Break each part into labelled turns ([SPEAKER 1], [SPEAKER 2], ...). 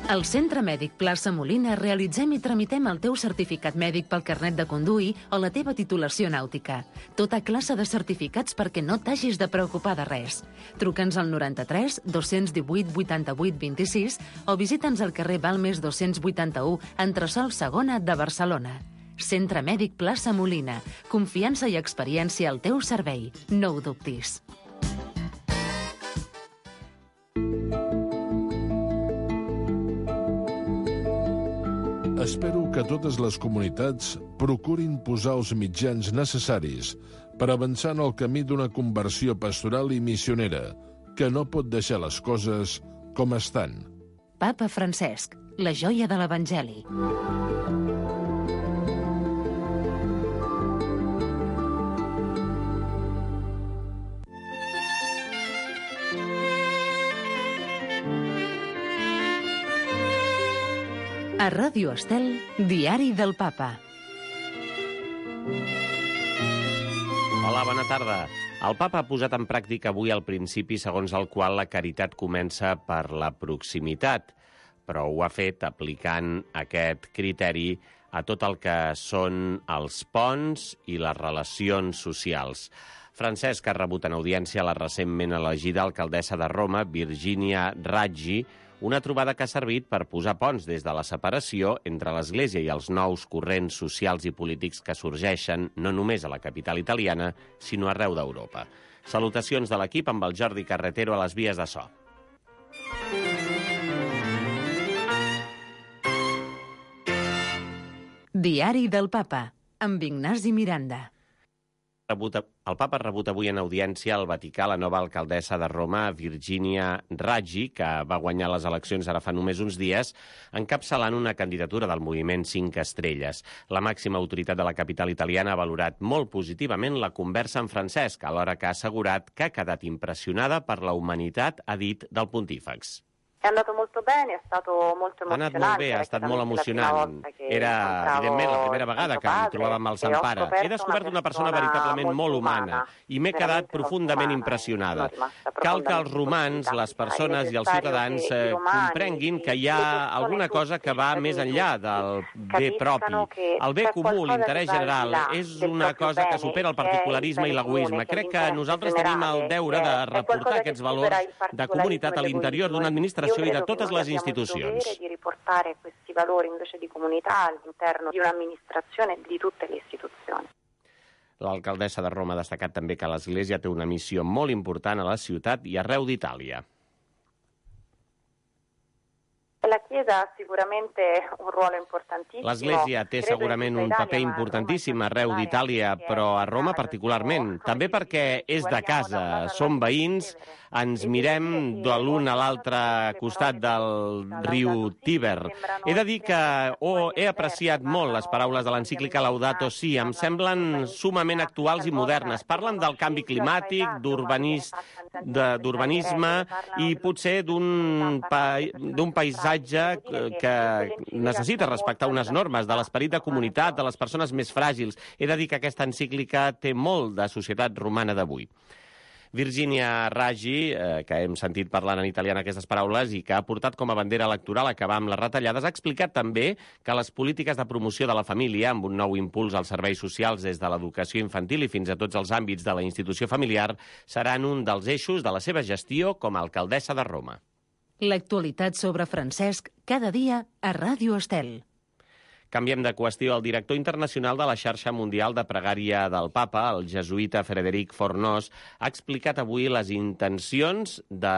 [SPEAKER 1] Al Centre Mèdic Plaça Molina realitzem i tramitem el teu certificat mèdic pel carnet de conduir o la teva titulació nàutica. Tota classe de certificats perquè no t'hagis de preocupar de res. Truca'ns al 93 218 88 26 o visita'ns al carrer Balmes 281, entresòl Segona de Barcelona. Centre Mèdic Plaça Molina. Confiança i experiència al teu servei. No ho dubtis.
[SPEAKER 2] Espero que totes les comunitats procurin posar els mitjans necessaris per avançar en el camí d'una conversió pastoral i missionera, que no pot deixar les coses com estan.
[SPEAKER 1] Papa Francesc, la joia de l'Evangeli. A Ràdio Estel, Diari del Papa.
[SPEAKER 3] Hola, bona tarda. El Papa ha posat en pràctica avui el principi segons el qual la caritat comença per la proximitat, però ho ha fet aplicant aquest criteri a tot el que són els ponts i les relacions socials. Francesc ha rebut en audiència la recentment elegida alcaldessa de Roma, Virginia Raggi, una trobada que ha servit per posar ponts des de la separació entre l'Església i els nous corrents socials i polítics que sorgeixen no només a la capital italiana, sinó arreu d'Europa. Salutacions de l'equip amb el Jordi Carretero a les vies de so.
[SPEAKER 1] Diari del Papa, amb Ignasi Miranda.
[SPEAKER 3] El Papa ha rebut avui en audiència al Vaticà la nova alcaldessa de Roma, Virginia Raggi, que va guanyar les eleccions ara fa només uns dies, encapçalant una candidatura del moviment 5 Estrelles. La màxima autoritat de la capital italiana ha valorat molt positivament la conversa amb Francesc, alhora que ha assegurat que ha quedat impressionada per la humanitat, ha dit, del pontífex.
[SPEAKER 4] È andato molto bene, è stato molto
[SPEAKER 3] emozionante. Ha anat molt bé, ha estat molt emocionant. Era, evidentment, la primera vegada que em trobava amb el Sant Pare. He descobert una persona veritablement molt humana i m'he quedat profundament impressionada. Cal que els romans, les persones i els ciutadans comprenguin que hi ha alguna cosa que va més enllà del bé propi. El bé comú, l'interès general, és una cosa que supera el particularisme i l'egoisme. Crec que nosaltres tenim el deure de reportar aquests valors de comunitat a l'interior d'una administració i de totes les institucions.
[SPEAKER 4] Di riportare questi valori invece di comunità all'interno di un'amministrazione e di tutte le istituzioni.
[SPEAKER 3] L'alcaldessa de Roma ha destacat també que l'Església té una missió molt important a la ciutat i arreu d'Itàlia.
[SPEAKER 4] La Chiesa ha sicuramente un ruolo importantissimo.
[SPEAKER 3] L'Església té segurament un paper importantíssim arreu d'Itàlia, però a Roma particularment. També perquè és de casa, som veïns, ens mirem de l'un a l'altre costat del riu Tíber. He de dir que he apreciat molt les paraules de l'encíclica Laudato Si, em semblen sumament actuals i modernes. Parlen del canvi climàtic, d'urbanisme i potser d'un paisatge que necessita respectar unes normes de l'esperit de comunitat, de les persones més fràgils. He de dir que aquesta encíclica té molt de societat romana d'avui. Virginia Raggi, que hem sentit parlant en italià en aquestes paraules i que ha portat com a bandera electoral acabar amb les retallades, ha explicat també que les polítiques de promoció de la família, amb un nou impuls als serveis socials des de l'educació infantil i fins a tots els àmbits de la institució familiar, seran un dels eixos de la seva gestió com a alcaldessa de Roma.
[SPEAKER 1] L'actualitat sobre Francesc, cada dia a Ràdio Estel.
[SPEAKER 3] Canviem de qüestió. El director internacional de la xarxa mundial de pregària del Papa, el jesuïta Frederic Fornós, ha explicat avui les intencions de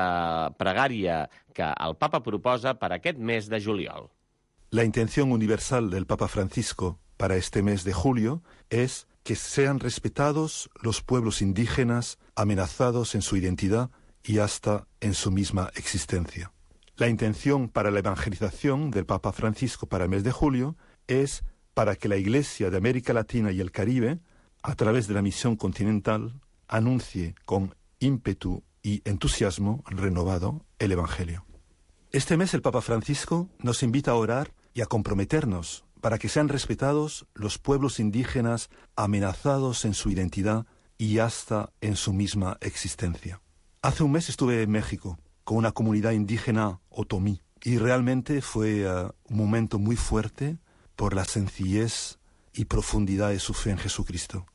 [SPEAKER 3] pregària que el Papa proposa per aquest mes de juliol.
[SPEAKER 5] La intención universal del Papa Francisco para este mes de julio es que sean respetados los pueblos indígenas amenazados en su identidad y hasta en su misma existencia. La intención para la evangelización del Papa Francisco para el mes de julio es para que la Iglesia de América Latina y el Caribe, a través de la misión continental, anuncie con ímpetu y entusiasmo renovado el Evangelio. Este mes el Papa Francisco nos invita a orar y a comprometernos para que sean respetados los pueblos indígenas amenazados en su identidad y hasta en su misma existencia. Hace un mes estuve en México con una comunidad indígena otomí Y realmente fue un momento muy fuerte por la sencillez y profundidad de su fe en Jesucristo.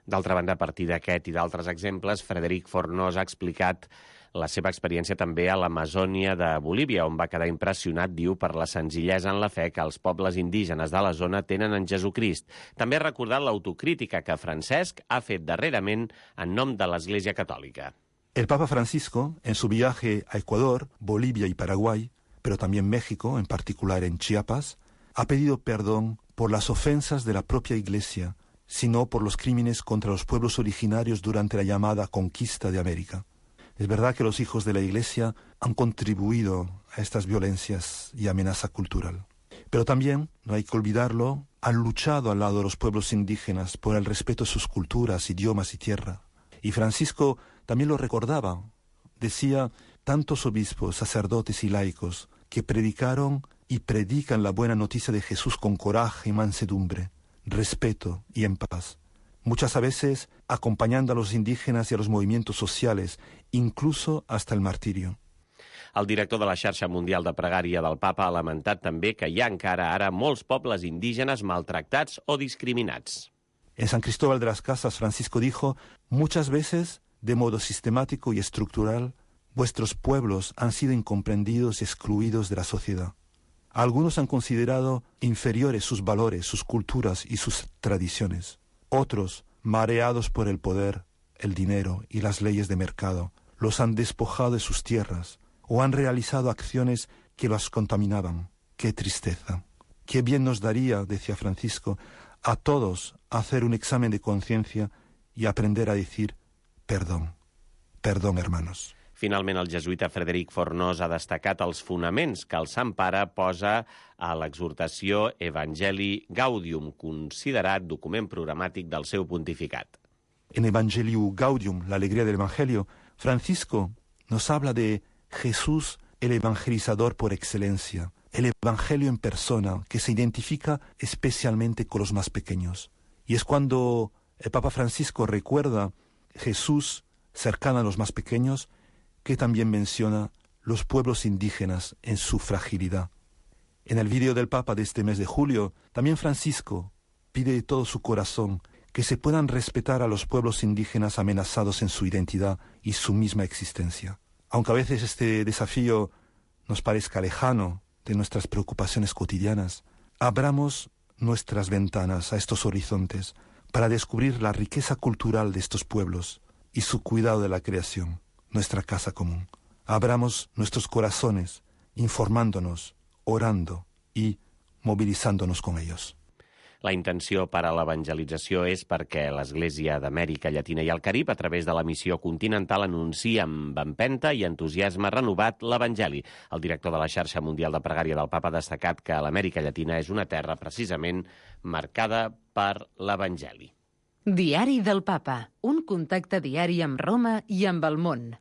[SPEAKER 3] D'altra banda, a partir d'aquest i d'altres exemples, Frederic Fornós ha explicat la seva experiència també a l'Amazònia de Bolívia, on va quedar impressionat, diu, per la senzillesa en la fe que els pobles indígenes de la zona tenen en Jesucrist. També ha recordat l'autocrítica que Francesc ha fet darrerament en nom de l'Església Catòlica.
[SPEAKER 5] El Papa Francisco, en su viaje a Ecuador, Bolivia y Paraguay, pero también México, en particular en Chiapas, ha pedido perdón por las ofensas de la propia Iglesia, sino por los crímenes contra los pueblos originarios durante la llamada conquista de América. Es verdad que los hijos de la Iglesia han contribuido a estas violencias y amenaza cultural. Pero también, no hay que olvidarlo, han luchado al lado de los pueblos indígenas por el respeto a sus culturas, idiomas y tierra. Y Francisco también lo recordaba. Decía, tantos obispos, sacerdotes y laicos que predicaron y predican la buena noticia de Jesús con coraje y mansedumbre, respeto y en paz. Muchas veces acompañando a los indígenas y a los movimientos sociales, incluso hasta el martirio.
[SPEAKER 3] El director de la xarxa mundial de pregària del Papa ha lamentat també que hi ha encara ara molts pobles indígenes maltractats o discriminats.
[SPEAKER 5] En San Cristóbal de las Casas, Francisco dijo, muchas veces, de modo sistemático y estructural, vuestros pueblos han sido incomprendidos y excluidos de la sociedad. Algunos han considerado inferiores sus valores, sus culturas y sus tradiciones. Otros, mareados por el poder, el dinero y las leyes de mercado, los han despojado de sus tierras o han realizado acciones que los contaminaban. ¡Qué tristeza! ¡Qué bien nos daría, decía Francisco, a todos hacer un examen de conciencia y aprender a decir perdón, perdón, hermanos!
[SPEAKER 3] Finalment, el jesuïta Frederic Fornós ha destacat els fonaments que el Sant Pare posa a l'exhortació Evangelii Gaudium, considerat document programàtic del seu pontificat.
[SPEAKER 5] En Evangelii Gaudium, la alegría del Evangelio, Francisco nos habla de Jesús, el evangelizador por excelencia, el Evangelio en persona, que se identifica especialmente con los más pequeños. Y es cuando el Papa Francisco recuerda Jesús cercano a los más pequeños, que también menciona los pueblos indígenas en su fragilidad. En el vídeo del Papa de este mes de julio, también Francisco pide de todo su corazón que se puedan respetar a los pueblos indígenas amenazados en su identidad y su misma existencia. Aunque a veces este desafío nos parezca lejano de nuestras preocupaciones cotidianas, abramos nuestras ventanas a estos horizontes para descubrir la riqueza cultural de estos pueblos y su cuidado de la creación, nuestra casa común. Abramos nuestros corazones, informándonos, orando y movilizándonos con ellos.
[SPEAKER 3] La intenció per a l'evangelització és perquè l'Església d'Amèrica Llatina i el Carib, a través de la missió continental, anuncia amb empenta i entusiasme renovat l'Evangeli. El director de la xarxa mundial de pregària del Papa ha destacat que l'Amèrica Llatina és una terra precisament marcada per l'Evangeli.
[SPEAKER 1] Diari del Papa, un contacte diari amb Roma i amb el món.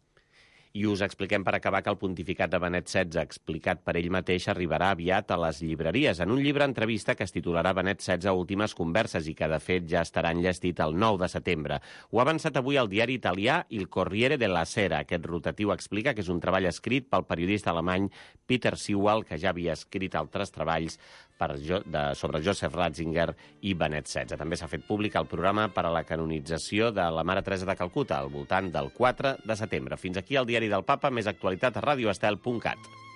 [SPEAKER 3] I us expliquem per acabar que el pontificat de Benet XVI, explicat per ell mateix, arribarà aviat a les llibreries en un llibre entrevista que es titularà Benet XVI Últimes Converses i que, de fet, ja estarà enllestit el 9 de setembre. Ho ha avançat avui el diari italià Il Corriere della Sera. Aquest rotatiu explica que és un treball escrit pel periodista alemany Peter Sewell, que ja havia escrit altres treballs sobre Joseph Ratzinger i Benet XVI. També s'ha fet públic el programa per a la canonització de la Mare Teresa de Calcuta al voltant del 4 de setembre. Fins aquí el diari del Papa, més actualitat a radioestel.cat.